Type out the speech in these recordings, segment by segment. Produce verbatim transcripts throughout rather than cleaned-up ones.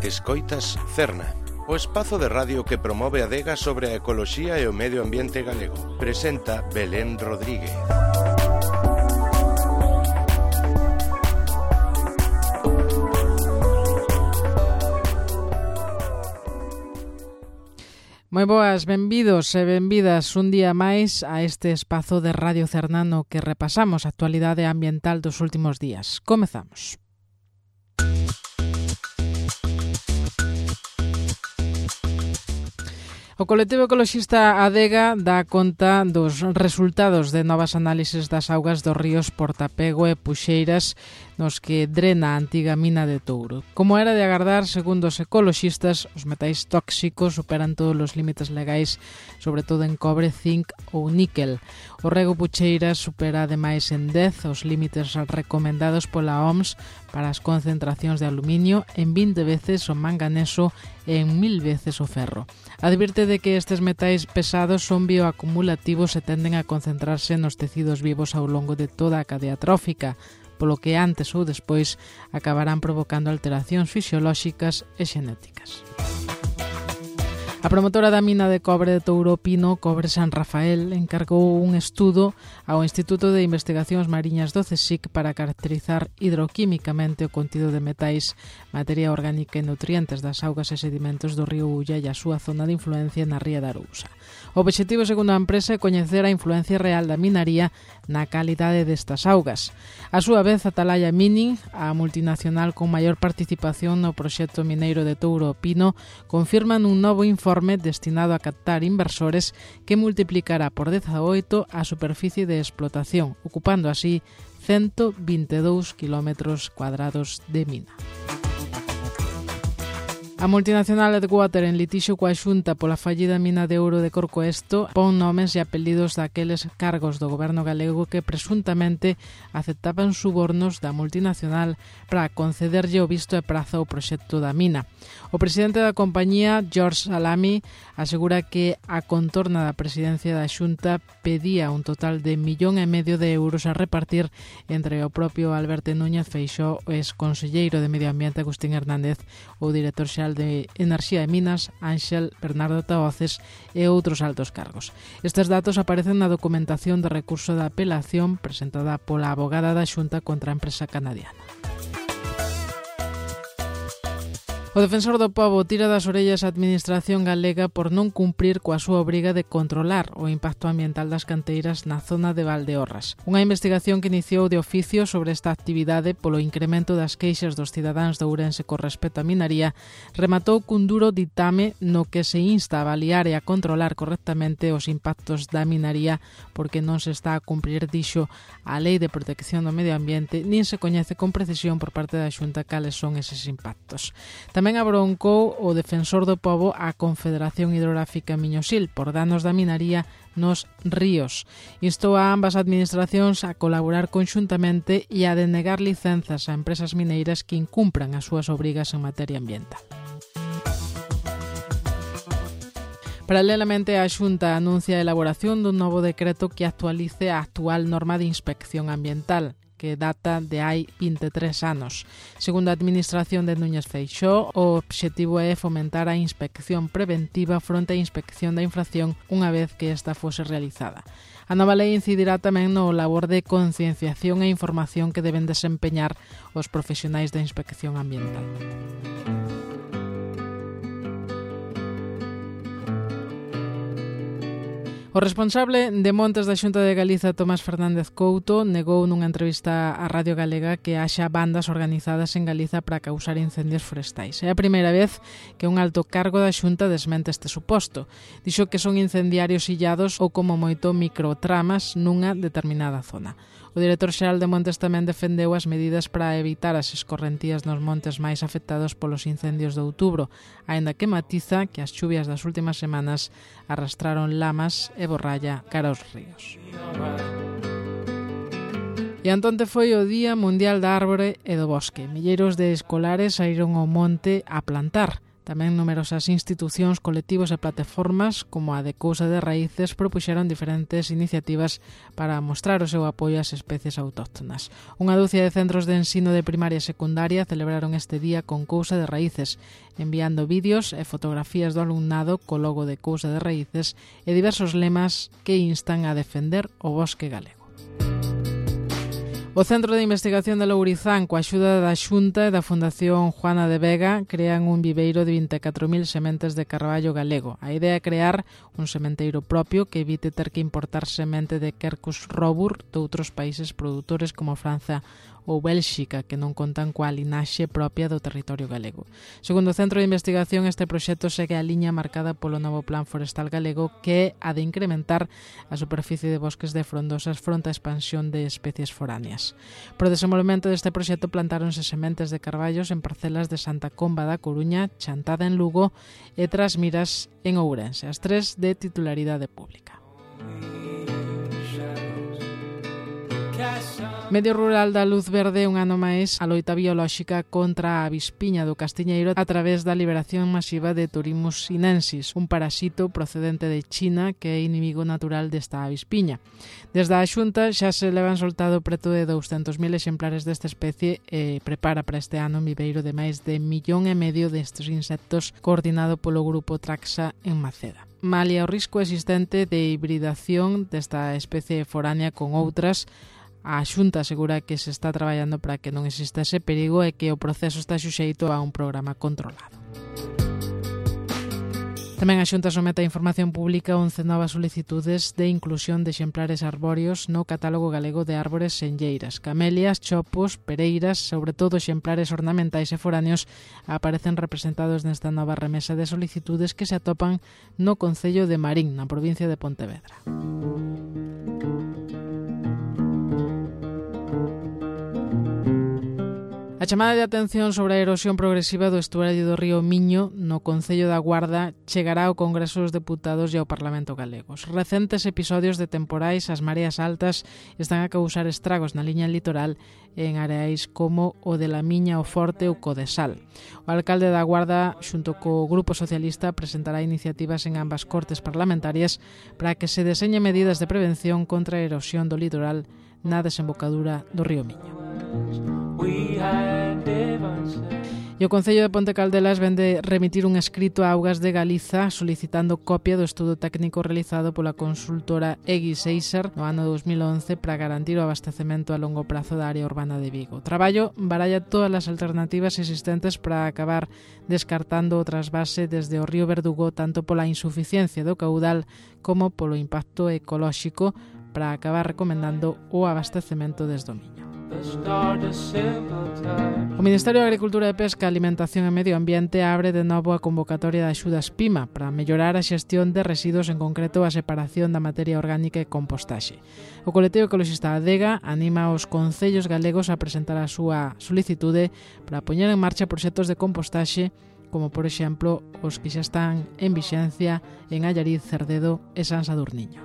Escoitas Cerna, o espazo de radio que promove a adega sobre a ecoloxía e o medio ambiente galego. Presenta Belén Rodríguez. Moi boas, benvidos e benvidas un día máis a este espazo de Radio Cernano que repasamos a actualidade ambiental dos últimos días. Comezamos. O colectivo ecoloxista Adega dá conta dos resultados de novas análises das augas dos ríos Portapego e Puxeiras nos que drena a antiga mina de Touro. Como era de agardar, segundo os ecoloxistas, os metais tóxicos superan todos os límites legais, sobre todo en cobre, zinc ou níquel. O rego Puxeiras supera ademais en dez os límites recomendados pola O M S para as concentracións de aluminio, en vinte veces o manganeso e en mil veces o ferro. Advirte de que estes metais pesados son bioacumulativos e tenden a concentrarse nos tecidos vivos ao longo de toda a cadea trófica, polo que antes ou despois acabarán provocando alteracións fisiolóxicas e xenéticas. A promotora da mina de cobre de Touro Pino, Cobre San Rafael, encargou un estudo ao Instituto de Investigacións Mariñas do CSIC para caracterizar hidroquímicamente o contido de metais, materia orgánica e nutrientes das augas e sedimentos do río Ulla e a súa zona de influencia na ría da Arousa. O obxectivo, segundo a empresa, é coñecer a influencia real da minaría na calidade destas augas. A súa vez, Atalaya Mining, a multinacional con maior participación no proxecto mineiro de Touro Pino, confirman un novo informe destinado a captar inversores que multiplicará por dezaoito a superficie de explotación, ocupando así ciento vinte e dous kilómetros cuadrados de mina. A multinacional Edgewater, en litixio coa Xunta pola fallida mina de ouro de Corcoesto, pon nomes e apelidos daqueles cargos do goberno galego que presuntamente aceptaban subornos da multinacional para concederlle o visto e prazo ao proxecto da mina. O presidente da compañía, George Salami, asegura que a contorna da presidencia da Xunta pedía un total de millón e medio de euros a repartir entre o propio Alberto Núñez Feixóo, o ex-conselleiro de Medio Ambiente Agustín Hernández, o director xeral de Enerxía e Minas, Ángel Bernardo Tahoces, e outros altos cargos. Estes datos aparecen na documentación de recurso de apelación presentada pola abogada da Xunta contra a empresa canadiana. O defensor do pobo tira das orellas a administración galega por non cumprir coa súa obriga de controlar o impacto ambiental das canteiras na zona de Valdeorras. Unha investigación que iniciou de oficio sobre esta actividade polo incremento das queixas dos cidadáns de Ourense con respecto á minaría rematou cun duro ditame no que se insta a avaliar e a controlar correctamente os impactos da minaría porque non se está a cumprir, dixo, a Lei de Protección do Medio Ambiente nin se coñece con precisión por parte da Xunta cales son eses impactos. Tamén Tamén abroncou o defensor do pobo a Confederación Hidrográfica Miñosil por danos da minaría nos ríos. Instou a ambas administracións a colaborar conxuntamente e a denegar licenzas a empresas mineiras que incumpran as súas obrigas en materia ambiental. Paralelamente, a Xunta anuncia a elaboración dun novo decreto que actualice a actual norma de inspección ambiental, que data de hai vinte e tres anos. Segundo a administración de Núñez Feixóo, o obxectivo é fomentar a inspección preventiva fronte á inspección da infracción unha vez que esta fose realizada. A nova lei incidirá tamén no labor de concienciación e información que deben desempeñar os profesionais da inspección ambiental. O responsable de Montes da Xunta de Galiza, Tomás Fernández Couto, negou nunha entrevista á Radio Galega que haxa bandas organizadas en Galiza para causar incendios forestais. É a primeira vez que un alto cargo da Xunta desmente este suposto. Dixo que son incendiarios illados ou como moito microtramas nunha determinada zona. O director xeral de Montes tamén defendeu as medidas para evitar as escorrentías nos montes máis afectados polos incendios de outubro, aínda que matiza que as chuvias das últimas semanas arrastraron lamas e borralla cara aos ríos. E antonte foi o Día Mundial da Árbore e do Bosque. Milleiros de escolares saíron ao monte a plantar. Tamén numerosas institucións, colectivos e plataformas como a de Cousa de Raíces propuxeron diferentes iniciativas para mostrar o seu apoio ás especies autóctonas. Unha dúcia de centros de ensino de primaria e secundaria celebraron este día con Cousa de Raíces, enviando vídeos e fotografías do alumnado co logo de Cousa de Raíces e diversos lemas que instan a defender o bosque galego. O Centro de Investigación de Lourizán, coa axuda da Xunta e da Fundación Juana de Vega, crean un viveiro de vinte e catro mil sementes de carballo galego. A idea é crear un sementeiro propio que evite ter que importar semente de Quercus robur de outros países produtores como Francia ou Bélxica, que non contan coa linaxe propia do territorio galego. Segundo o Centro de Investigación, este proxecto segue a liña marcada polo novo Plan Forestal Galego, que é a de incrementar a superficie de bosques de frondosas fronte á expansión de especies foráneas. Pro desenvolvemento deste proxecto plantáronse sementes de carballos en parcelas de Santa Comba da Coruña, Chantada en Lugo e Trasmiras en Ourense, as tres de titularidade pública. Medio Rural da Luz Verde un ano máis a loita biolóxica contra a avispiña do castiñeiro a través da liberación masiva de Turimus sinensis, un parasito procedente de China que é inimigo natural desta avispiña. Desde a Xunta xa se levan soltado preto de douscentos mil exemplares desta especie e prepara para este ano un viveiro de máis de millón e medio destes insectos coordinado polo grupo Traxa en Maceda. Malia o risco existente de hibridación desta especie foránea con outras, a Xunta asegura que se está traballando para que non exista ese perigo e que o proceso está suxeito a un programa controlado. Tamén a Xunta somete a información pública once novas solicitudes de inclusión de exemplares arbóreos no catálogo galego de árbores senlleiras. Camelias, chopos, pereiras, sobre todo exemplares ornamentais e foráneos, aparecen representados nesta nova remesa de solicitudes que se atopan no concello de Marín, na provincia de Pontevedra. A chamada de atención sobre a erosión progresiva do estuario do río Miño no Concello da Guarda chegará ao Congreso dos Deputados e ao Parlamento galego. Os recentes episodios de temporais, as mareas altas, están a causar estragos na liña litoral en areais como o de la Miña, o Forte ou Codesal. O alcalde da Guarda, xunto co Grupo Socialista, presentará iniciativas en ambas cortes parlamentarias para que se deseñen medidas de prevención contra a erosión do litoral na desembocadura do río Miño. E o Concello de Ponte Caldelas vende remitir un escrito a Augas de Galiza solicitando copia do estudo técnico realizado pola consultora Egui Seiser no ano dos mil once para garantir o abastecemento a longo prazo da área urbana de Vigo. O traballo baralla todas as alternativas existentes para acabar descartando o trasvase desde o río Verdugo tanto pola insuficiencia do caudal como polo impacto ecolóxico para acabar recomendando o abastecemento desde o Miño. O Ministerio de Agricultura e Pesca, Alimentación e Medio Ambiente abre de novo a convocatoria de axudas PIMA para mellorar a xestión de residuos, en concreto a separación da materia orgánica e compostaxe. O colectivo ecologista Adega anima os concellos galegos a presentar a súa solicitude para poñer en marcha proxectos de compostaxe como, por exemplo, os que xa están en vixencia en Allariz, Cerdedo e San Sadurniño.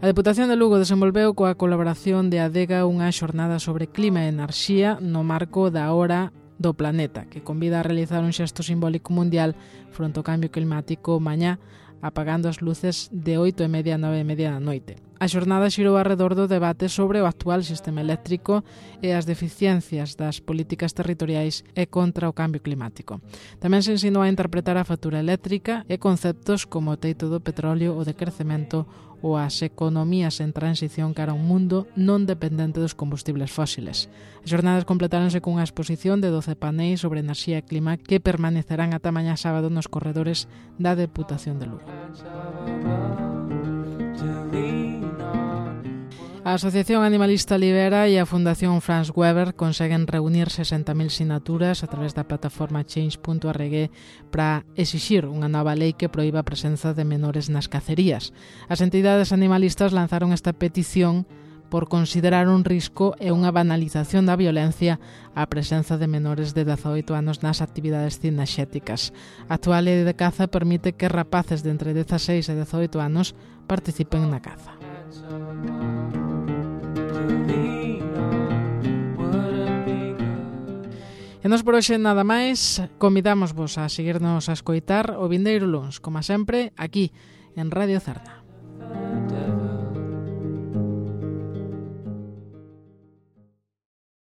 A Deputación de Lugo desenvolveu coa colaboración de Adega unha xornada sobre clima e enerxía no marco da Hora do Planeta, que convida a realizar un xesto simbólico mundial fronte ao cambio climático mañá, apagando as luces de oito e media a nove e media da noite. A xornada xirou arredor do debate sobre o actual sistema eléctrico e as deficiencias das políticas territoriais e contra o cambio climático. Tamén se ensinou a interpretar a factura eléctrica e conceptos como o teito do petróleo, o decrecemento ou as economías en transición cara a un mundo non dependente dos combustibles fósiles. As xornadas completáronse cunha exposición de doce paneis sobre enerxía e clima que permanecerán ata mañá sábado nos corredores da Deputación de Lugo. A Asociación Animalista Libera e a Fundación Franz Weber conseguen reunir sesenta mil sinaturas a través da plataforma change punto org para exixir unha nova lei que proíba a presenza de menores nas cacerías. As entidades animalistas lanzaron esta petición por considerar un risco e unha banalización da violencia a presenza de menores de dezaoito anos nas actividades cinexéticas. A actual lei de caza permite que rapaces de entre dezaseis e dezaoito anos participen na caza. E nos por hoxe nada máis, convidamos vos a seguirnos a escoitar o vindeiro luns, como sempre, aquí, en Radio Cerna.